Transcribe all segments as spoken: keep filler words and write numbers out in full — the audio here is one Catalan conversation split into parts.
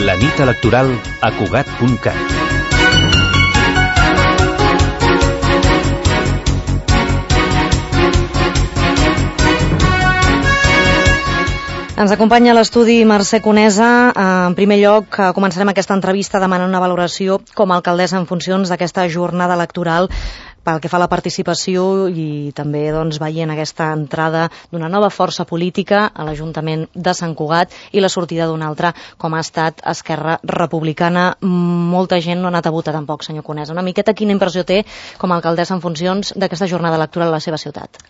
La nit electoral a Cugat punt cat. Ens acompanya a l'estudi Mercè Conesa. En primer lloc, començarem aquesta entrevista demanant una valoració com a alcaldessa en funcions d'aquesta jornada electoral pel que fa a la participació i també doncs, veient aquesta entrada d'una nova força política a l'Ajuntament de Sant Cugat i la sortida d'una altra, com ha estat Esquerra Republicana. Molta gent no ha anat a votar tampoc, senyor Conesa. Una miqueta quina impressió té com a alcaldessa en funcions d'aquesta jornada electoral a la seva ciutat?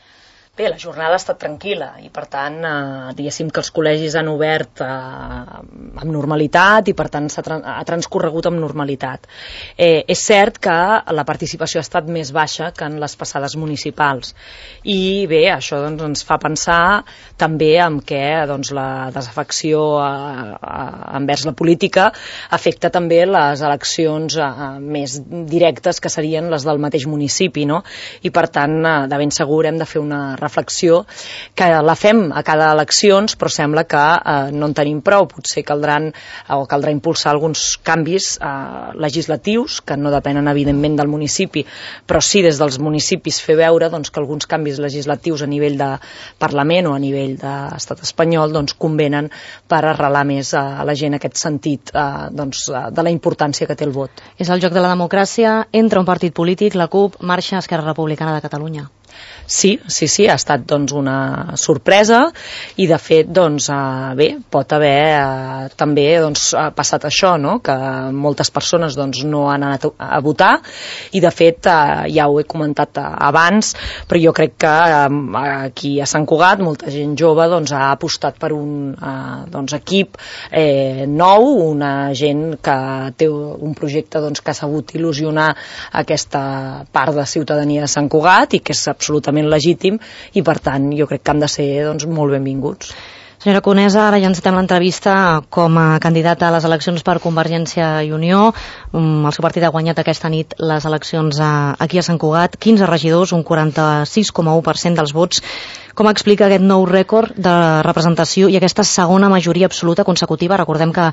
Bé, la jornada ha estat tranquil·la i, per tant, eh, diguéssim que els col·legis han obert eh, amb normalitat i, per tant, s'ha tra ha transcorregut amb normalitat. Eh, és cert que la participació ha estat més baixa que en les passades municipals i, bé, això doncs, ens fa pensar també en què doncs, la desafecció eh, eh, envers la política afecta també les eleccions eh, més directes que serien les del mateix municipi, no? I, per tant, eh, de ben segur hem de fer una reflexió que la fem a cada eleccions, però sembla que eh, no en tenim prou. Potser caldran o caldrà impulsar alguns canvis eh, legislatius que no depenen evidentment del municipi, però sí des dels municipis fer veure doncs, que alguns canvis legislatius a nivell de Parlament o a nivell d'Estat espanyol doncs, convenen per arrelar més a la gent aquest sentit eh, doncs, de la importància que té el vot. És el joc de la democràcia entre un partit polític, la CUP, marxa Esquerra Republicana de Catalunya. Sí, sí, sí, ha estat doncs, una sorpresa i de fet doncs, eh, bé, pot haver eh, també doncs, passat això, no? Que moltes persones doncs, no han anat a votar i de fet eh, ja ho he comentat abans, però jo crec que eh, aquí a Sant Cugat molta gent jove doncs, ha apostat per un eh, doncs, equip eh, nou, una gent que té un projecte doncs, que ha sabut il·lusionar aquesta part de ciutadania de Sant Cugat i que és absolutament legítim i per tant jo crec que han de ser doncs, molt benvinguts. Senyora Conesa, ara ja encetem l'entrevista com a candidata a les eleccions per Convergència i Unió. El seu partit ha guanyat aquesta nit les eleccions aquí a Sant Cugat, quinze regidors, un quaranta-sis coma u per cent dels vots. Com explica aquest nou rècord de representació i aquesta segona majoria absoluta consecutiva? Recordem que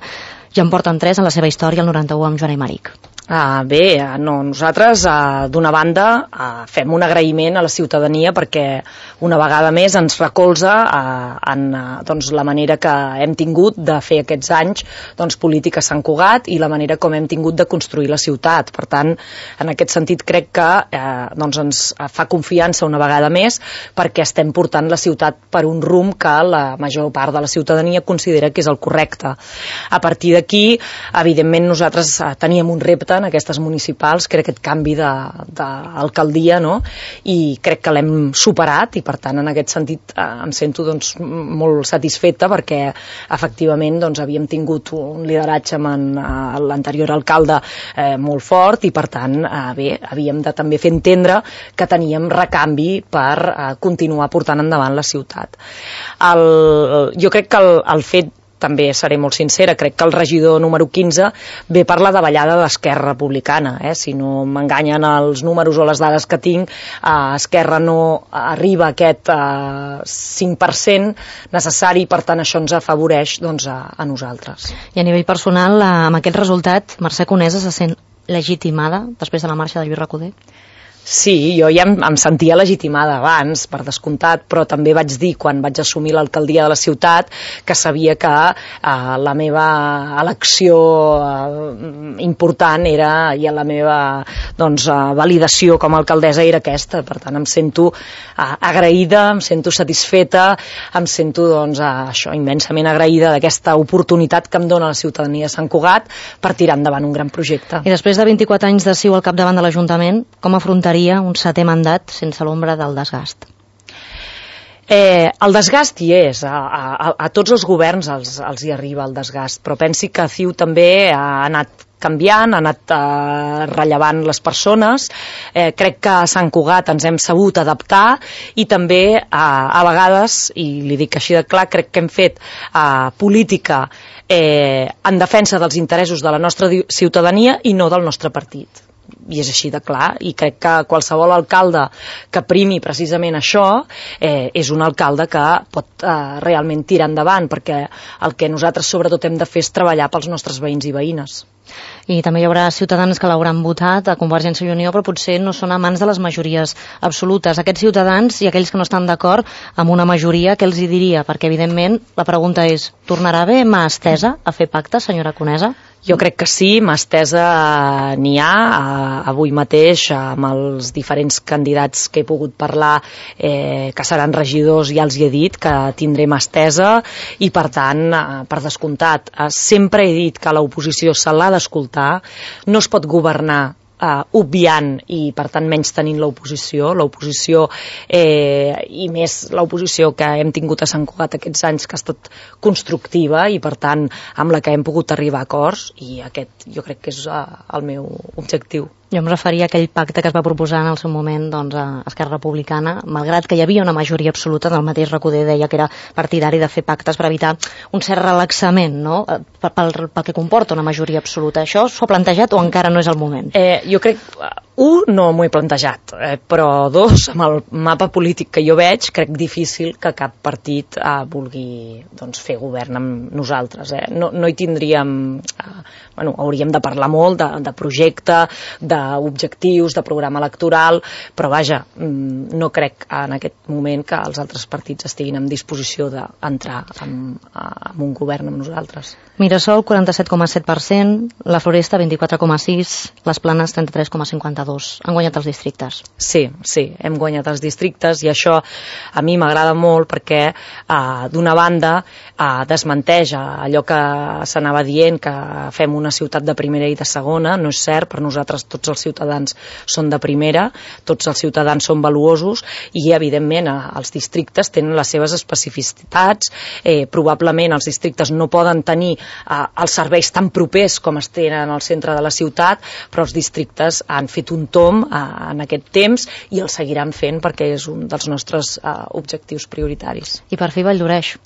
ja en porten tres en la seva història, el noranta-u amb Joan Aymeric. Ah, bé, no, nosaltres ah, d'una banda ah, fem un agraïment a la ciutadania perquè una vegada més ens recolza ah, en ah, doncs, la manera que hem tingut de fer aquests anys doncs, política a Sant Cugat i la manera com hem tingut de construir la ciutat. Per tant, en aquest sentit crec que eh, doncs ens fa confiança una vegada més perquè estem portant la ciutat per un rumb que la major part de la ciutadania considera que és el correcte. A partir d'aquí, evidentment nosaltres ah, teníem un repte en aquestes municipals, que era aquest canvi d'alcaldia, no? I crec que l'hem superat i per tant en aquest sentit eh, em sento doncs, molt satisfeta perquè efectivament doncs, havíem tingut un lideratge amb en, eh, l'anterior alcalde eh, molt fort i per tant eh, bé, havíem de també fer entendre que teníem recanvi per eh, continuar portant endavant la ciutat. El, jo crec que el, el fet també seré molt sincera, crec que el regidor número quinze ve per la davallada d'Esquerra Republicana. Eh? Si no m'enganyen els números o les dades que tinc, eh, Esquerra no arriba a aquest eh, cinc per cent necessari, per tant això ens afavoreix doncs, a, a nosaltres. I a nivell personal, eh, amb aquest resultat, Mercè Conesa se sent legitimada després de la marxa de Lluís Recoder? Sí, jo ja em, em sentia legitimada abans, per descomptat, però també vaig dir quan vaig assumir l'alcaldia de la ciutat que sabia que eh, la meva elecció eh, important era, i la meva doncs, eh, validació com a alcaldessa era aquesta. Per tant, em sento eh, agraïda, em sento satisfeta, em sento doncs, eh, això, immensament agraïda d'aquesta oportunitat que em dona la ciutadania de Sant Cugat per tirar endavant un gran projecte. I després de vint-i-quatre anys de ciu al capdavant de l'Ajuntament, com afrontar un setè mandat sense l'ombra del desgast? Eh, el desgast hi és, a, a, a tots els governs els, els hi arriba el desgast, però pensi que C I U també ha anat canviant, ha anat eh, rellevant les persones. Eh, crec que a Sant Cugat ens hem sabut adaptar i també eh, a vegades, i li dic així de clar, crec que hem fet eh, política eh, en defensa dels interessos de la nostra ciutadania i no del nostre partit. i és així de clar, i crec que qualsevol alcalde que primi precisament això eh, és un alcalde que pot eh, realment tirar endavant, perquè el que nosaltres sobretot hem de fer és treballar pels nostres veïns i veïnes. I també hi haurà ciutadans que l'hauran votat a Convergència i Unió, però potser no són amants de les majories absolutes. Aquests ciutadans i aquells que no estan d'acord amb una majoria, què els hi diria? Perquè, evidentment, la pregunta és, tornarà bé mà estesa a fer pactes, senyora Conesa? Jo crec que sí, mà estesa n'hi ha. Avui mateix, amb els diferents candidats que he pogut parlar, eh, que seran regidors, ja els hi he dit que tindré mà estesa, i per tant, eh, per descomptat, eh, sempre he dit que l'oposició se l'ha d'escoltar, no es pot governar Uh, obviant i per tant menys tenint l'oposició l'oposició eh, i més l'oposició que hem tingut a Sant Cugat aquests anys, que ha estat constructiva i per tant amb la que hem pogut arribar a acords, i aquest jo crec que és uh, el meu objectiu. Jo em referia a aquell pacte que es va proposar en el seu moment doncs, a Esquerra Republicana, malgrat que hi havia una majoria absoluta, del mateix Recoder deia que era partidari de fer pactes per evitar un cert relaxament, no? pel, pel que comporta una majoria absoluta. Això s'ho ha plantejat o encara no és el moment? Eh, jo crec, un, no m'ho he plantejat, eh, però dos, amb el mapa polític que jo veig, crec difícil que cap partit eh, vulgui doncs, fer govern amb nosaltres. Eh? No, no hi tindríem... Eh, bueno, hauríem de parlar molt de, de projecte, d'objectius, de programa electoral, però vaja, no crec en aquest moment que els altres partits estiguin en disposició d'entrar en, en un govern amb nosaltres. Mirasol, quaranta-set coma set per cent, la Floresta, vint-i-quatre coma sis, les Planes, trenta-tres coma cinquanta-dos. Han guanyat els districtes. Sí, sí, hem guanyat els districtes, i això a mi m'agrada molt perquè, eh, d'una banda, eh, desmenteix allò que s'anava dient, que fem una ciutat de primera i de segona. No és cert, per nosaltres tots els ciutadans són de primera, tots els ciutadans són valuosos, i evidentment els districtes tenen les seves especificitats. Eh, probablement els districtes no poden tenir eh, els serveis tan propers com es tenen al centre de la ciutat, però els districtes han fet un tomb eh, en aquest temps i el seguiran fent perquè és un dels nostres eh, objectius prioritaris. I per fi Valldoreix.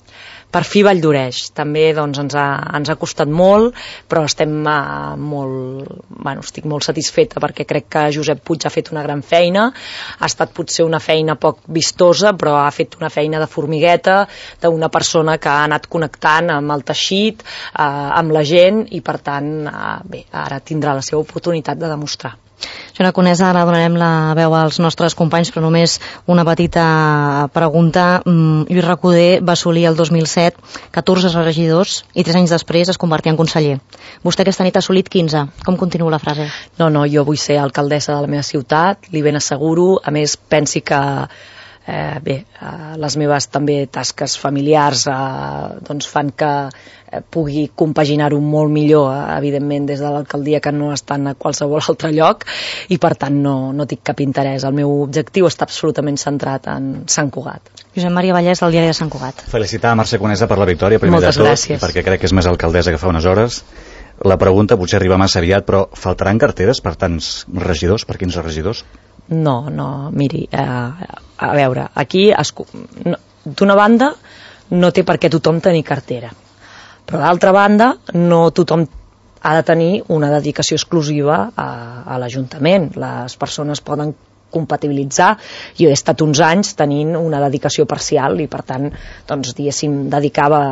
Per fi Valldoreix. També doncs, ens, ha, ens ha costat molt, però estem uh, molt, bueno, estic molt satisfeta perquè crec que Josep Puig ha fet una gran feina. Ha estat potser una feina poc vistosa, però ha fet una feina de formigueta, d'una persona que ha anat connectant amb el teixit, uh, amb la gent, i per tant, uh, bé, ara tindrà la seva oportunitat de demostrar. Senyora Conesa, ara donarem la veu als nostres companys, però només una petita pregunta. Lluís Recoder va assolir el dos mil set catorze regidors i tres anys després es convertia en conseller. Vostè aquesta nit ha assolit quinze. Com continua la frase? No, no, jo vull ser alcaldessa de la meva ciutat, li ben asseguro. A més, pensi que Eh, bé, eh, les meves també tasques familiars eh, doncs fan que eh, pugui compaginar-ho molt millor, eh, evidentment, des de l'alcaldia, que no estan a qualsevol altre lloc, i per tant no, no tinc cap interès. El meu objectiu està absolutament centrat en Sant Cugat. Josep Maria Vallès, del diari de Sant Cugat. Felicitar a Mercè Conesa per la victòria, primer Moltes de tot, gràcies. perquè crec que és més alcaldessa que fa unes hores. La pregunta potser arriba massa aviat, però faltaran carteres per tants regidors, per quinze regidors? No, no, miri, eh, a veure, aquí no, d'una banda no té per què tothom tenir cartera, però d'altra banda no tothom ha de tenir una dedicació exclusiva a, a l'Ajuntament. Les persones poden compatibilitzar. Jo he estat uns anys tenint una dedicació parcial i per tant, doncs, diguéssim, dedicava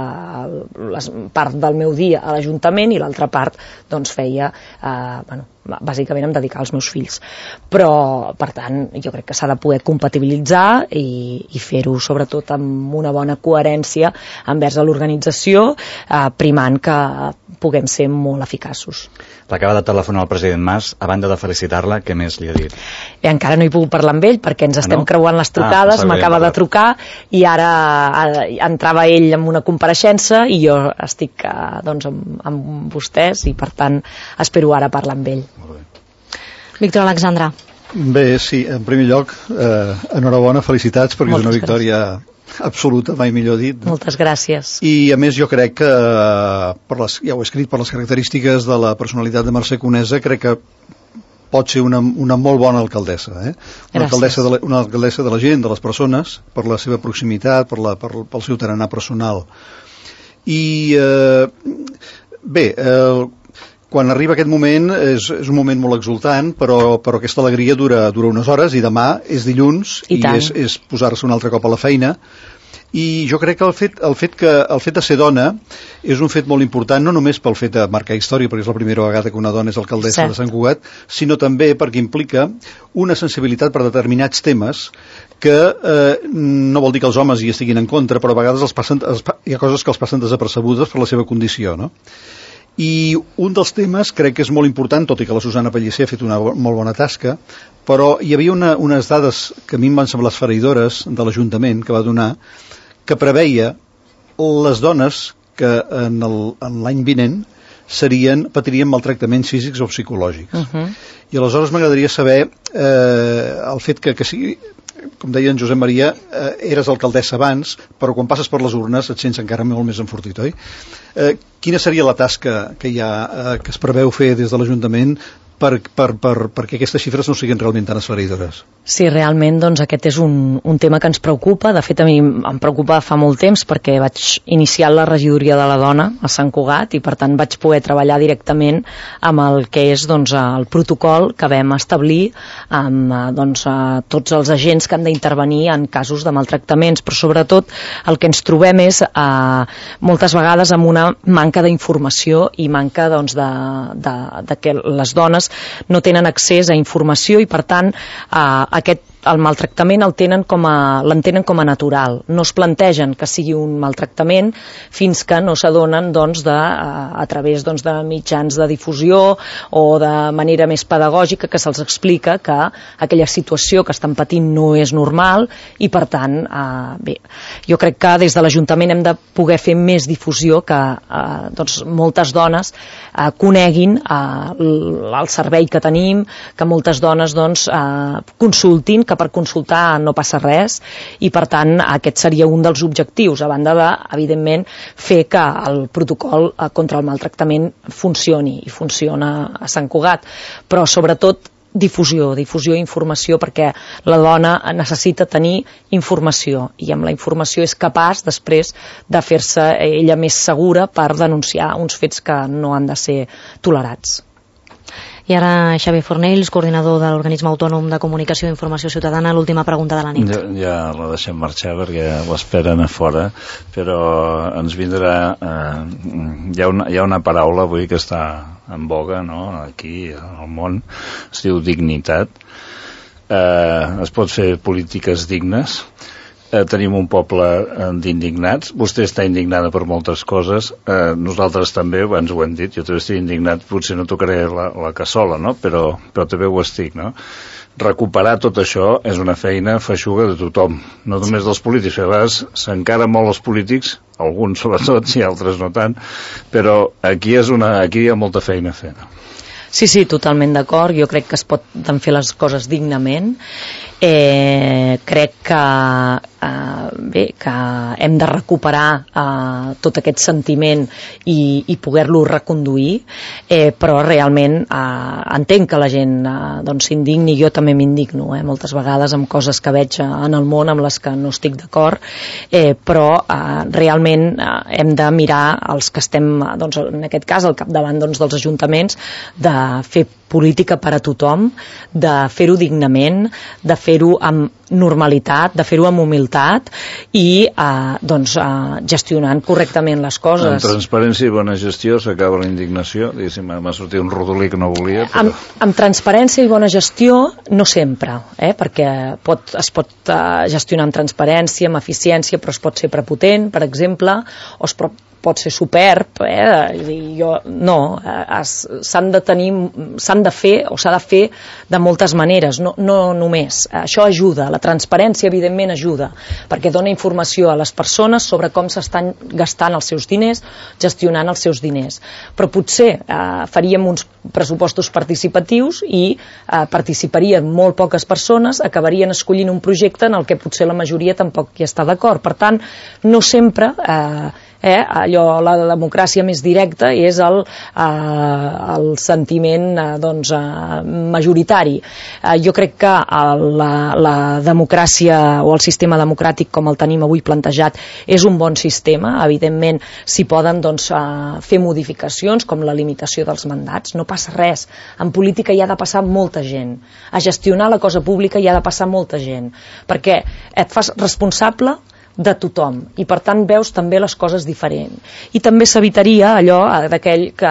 la part del meu dia a l'Ajuntament i l'altra part doncs feia, eh, bueno, bàsicament em dedicava als meus fills. Però, per tant, jo crec que s'ha de poder compatibilitzar i, i fer-ho sobretot amb una bona coherència envers l'organització, eh, primant que puguem ser molt eficaços. L'acaba de telefonar el president Mas, a banda de felicitar-la, què més li ha dit? I encara no he pogut parlar amb ell perquè ens estem ah, no? creuant les trucades, ah, m'acaba de trucar i ara entrava ell en una compareixença i jo estic doncs, amb, amb vostès i per tant espero ara parlar amb ell. Víctor Alexandra. Bé, sí, en primer lloc, eh, enhorabona, felicitats, perquè Moltes és una victòria gràcies. absoluta, mai millor dit. Moltes gràcies. I a més jo crec que, per les, ja ho he escrit, per les característiques de la personalitat de Mercè Conesa, crec que pot ser una, una molt bona alcaldessa, eh? Una alcaldessa, de la, una alcaldessa de la gent, de les persones, per la seva proximitat, per la, per, pel seu tarannà personal. I, eh, bé, eh, quan arriba aquest moment és, és un moment molt exultant, però, però aquesta alegria dura, dura unes hores, i demà és dilluns i, i és, és posar-se un altre cop a la feina. I jo crec que el fet, el fet que el fet de ser dona és un fet molt important, no només pel fet de marcar història, perquè és la primera vegada que una dona és alcaldessa Cert. de Sant Cugat, sinó també perquè implica una sensibilitat per determinats temes que eh, no vol dir que els homes hi estiguin en contra, però a vegades els passen, els, hi ha coses que els passen desapercebudes per la seva condició, no? I un dels temes crec que és molt important, tot i que la Susana Pellicer ha fet una molt bona tasca, però hi havia una, unes dades que a mi em van semblar esfereïdores de l'Ajuntament que va donar, que preveia les dones que en l'any vinent serien, patirien maltractaments físics o psicològics. Uh-huh. I aleshores m'agradaria saber eh, el fet que, que sigui, com deia en Josep Maria, eh, eres alcaldessa abans, però quan passes per les urnes et sents encara molt més enfortit, oi? Eh, quina seria la tasca que, hi ha, eh, que es preveu fer des de l'Ajuntament per, per, per, perquè aquestes xifres no siguin realment tan esfereïdores? Sí, realment doncs, aquest és un, un tema que ens preocupa. De fet, a mi em preocupa fa molt temps perquè vaig iniciar la regidoria de la dona a Sant Cugat i per tant vaig poder treballar directament amb el que és doncs, el protocol que vam establir amb doncs, tots els agents que han d'intervenir en casos de maltractaments, però sobretot el que ens trobem és eh, moltes vegades amb una manca d'informació i manca doncs, de, de, de que les dones no tenen accés a informació i per tant eh, aquest el maltractament el tenen com a, l'entenen com a natural. No es plantegen que sigui un maltractament fins que no s'adonen doncs, de, a, a través doncs, de mitjans de difusió o de manera més pedagògica que se'ls explica que aquella situació que estan patint no és normal i per tant, eh, bé, jo crec que des de l'Ajuntament hem de poder fer més difusió que eh, doncs, moltes dones eh, coneguin eh, el servei que tenim, que moltes dones doncs, eh, consultin, que per consultar no passa res i per tant aquest seria un dels objectius a banda de, evidentment, fer que el protocol contra el maltractament funcioni i funciona a Sant Cugat, però sobretot difusió, difusió i informació perquè la dona necessita tenir informació i amb la informació és capaç després de fer-se ella més segura per denunciar uns fets que no han de ser tolerats. I ara Xavier Fornells, coordinador de l'Organisme Autònom de Comunicació i Informació Ciutadana, l'última pregunta de la nit. Ja, ja la deixem marxar perquè l'esperen a fora, però ens vindrà... Eh, hi, ha una, hi ha una paraula avui que està en boga, no?, aquí al món, es diu dignitat. Eh, es pot fer polítiques dignes. Eh, tenim un poble eh, d'indignats, vostè està indignada per moltes coses, eh, nosaltres també, abans ho hem dit, jo també estic indignat, potser no tocaré la, la cassola, no? però, però també ho estic, no? Recuperar tot això és una feina feixuga de tothom, no només dels polítics, a vegades s'encara molt els polítics, alguns sobretot i altres no tant, però aquí, és una, aquí hi ha molta feina a fer. Sí, sí, totalment d'acord, jo crec que es poden fer les coses dignament. Eh, crec que, eh, bé, que hem de recuperar eh, tot aquest sentiment i, i poder-lo reconduir, eh, però realment eh, entenc que la gent eh, doncs, s'indigni, jo també m'indigno eh, moltes vegades amb coses que veig en el món amb les que no estic d'acord, eh, però eh, realment eh, hem de mirar els que estem, doncs, en aquest cas al capdavant doncs, dels ajuntaments, de fer política per a tothom, de fer-ho dignament, de fer-ho amb normalitat, de fer-ho amb humilitat i eh, doncs, eh, gestionant correctament les coses. Amb transparència i bona gestió s'acaba la indignació, diguéssim, m'ha sortit un rodolí que no volia. Però... Amb, amb transparència i bona gestió no sempre, eh, perquè pot, es pot eh, gestionar amb transparència, amb eficiència, però es pot ser prepotent, per exemple, o es pot pot ser superb, eh? jo, no, s'han de tenir, s'han de fer o s'ha de fer de moltes maneres, no, no només. Això ajuda, la transparència evidentment ajuda, perquè dona informació a les persones sobre com s'estan gastant els seus diners, gestionant els seus diners. Però potser eh, faríem uns pressupostos participatius i eh, participarien molt poques persones, acabarien escollint un projecte en el que potser la majoria tampoc hi està d'acord. Per tant, no sempre... Eh, eh, allò, la democràcia més directa és el, eh, el sentiment eh, doncs, eh, majoritari. Eh, jo crec que la, la democràcia o el sistema democràtic com el tenim avui plantejat és un bon sistema. Evidentment s'hi poden doncs, eh, fer modificacions com la limitació dels mandats, no passa res. En política hi ha de passar molta gent, a gestionar la cosa pública hi ha de passar molta gent, perquè et fas responsable de tothom, i per tant veus també les coses diferent. I també s'evitaria allò d'aquell que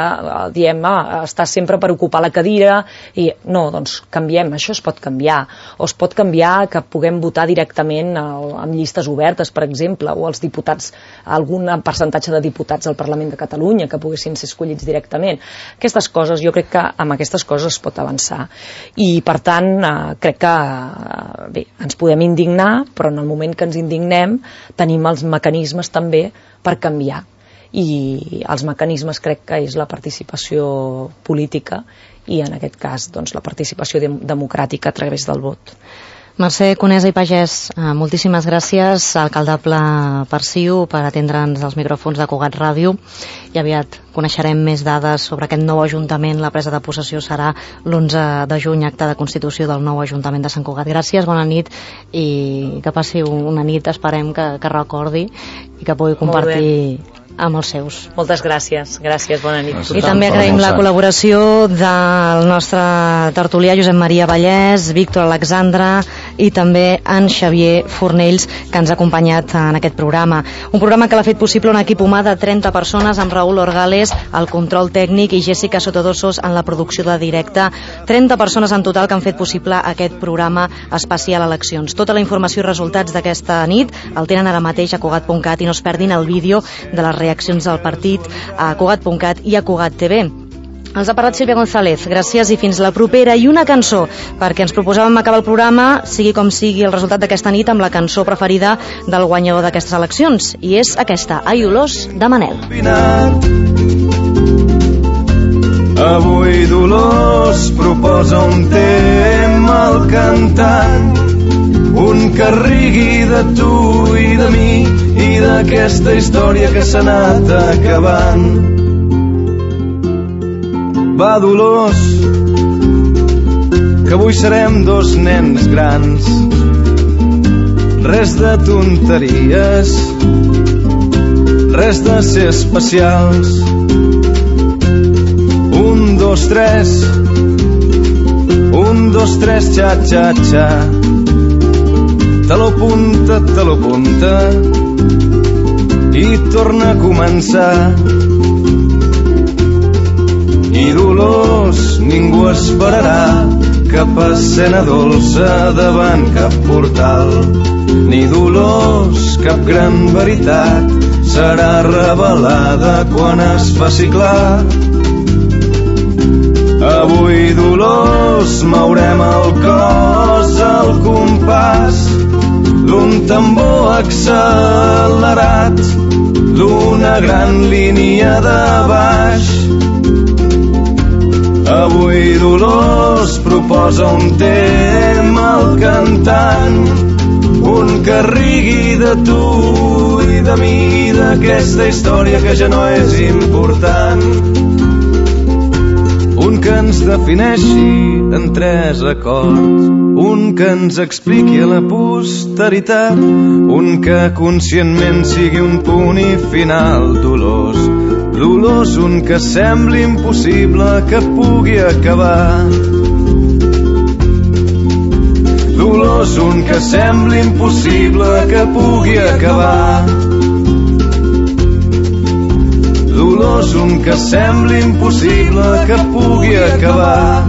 diem, ah, està sempre per ocupar la cadira, i no, doncs canviem, això es pot canviar, o es pot canviar que puguem votar directament amb llistes obertes, per exemple, o els diputats, algun percentatge de diputats al Parlament de Catalunya que poguessin ser escollits directament. Aquestes coses, jo crec que amb aquestes coses es pot avançar, i per tant eh, crec que eh, bé, ens podem indignar, però en el moment que ens indignem tenim els mecanismes també per canviar, i els mecanismes crec que és la participació política i en aquest cas doncs, la participació de democràtica a través del vot. Mercè Conesa i Pagès, moltíssimes gràcies, alcaldable per CiU, per atendre'ns als micròfons de Cugat Ràdio, i aviat coneixerem més dades sobre aquest nou Ajuntament. La presa de possessió serà l'onze de juny, acte de constitució del nou Ajuntament de Sant Cugat. Gràcies, bona nit, i que passi una nit, esperem que, que recordi i que pugui compartir amb els seus. Moltes gràcies, gràcies, bona nit. I també agraïm la col·laboració del nostre tertulià Josep Maria Vallès, Víctor Alexandre i també en Xavier Fornells, que ens ha acompanyat en aquest programa. Un programa que l'ha fet possible un equip humà de trenta persones, amb Raúl Orgales al control tècnic i Jessica Sotodosos en la producció de directe. trenta persones en total que han fet possible aquest programa especial eleccions. Tota la informació i resultats d'aquesta nit el tenen ara mateix a Cugat punt cat, i no es perdin el vídeo de les reaccions del partit a Cugat punt cat i a Cugat T V. Els ha parlat Sílvia González, gràcies i fins la propera. I una cançó, perquè ens proposàvem acabar el programa, sigui com sigui el resultat d'aquesta nit, amb la cançó preferida del guanyador d'aquestes eleccions, i és aquesta, Ai Dolors, de Manel. Avui Dolors proposa un tema al cantant, un que rigui de tu i de mi i d'aquesta història que s'ha anat acabant. Va, Dolors, que avui serem dos nens grans, res de tonteries, res de ser especials. Un, dos, tres, un, dos, tres, xa, xa, xa. Te lo punta, te lo punta i torna a començar. I Dolors, ningú esperarà cap escena dolça davant cap portal, ni Dolors, cap gran veritat serà revelada quan es faci clar. Avui Dolors mourem el cos al compàs d'un tambor accelerat, d'una gran línia de baix. Avui Dolors proposa un tema al cantant, un que rigui de tu i de mi i d'aquesta història que ja no és important. Un que ens defineixi en tres acords, un que ens expliqui a la posteritat, un que conscientment sigui un punt i final. Dolors, Dolors, un que sembli impossible que pugui acabar. Dolors, un que sembli impossible que pugui acabar. Dolors, un que sembli impossible que pugui acabar.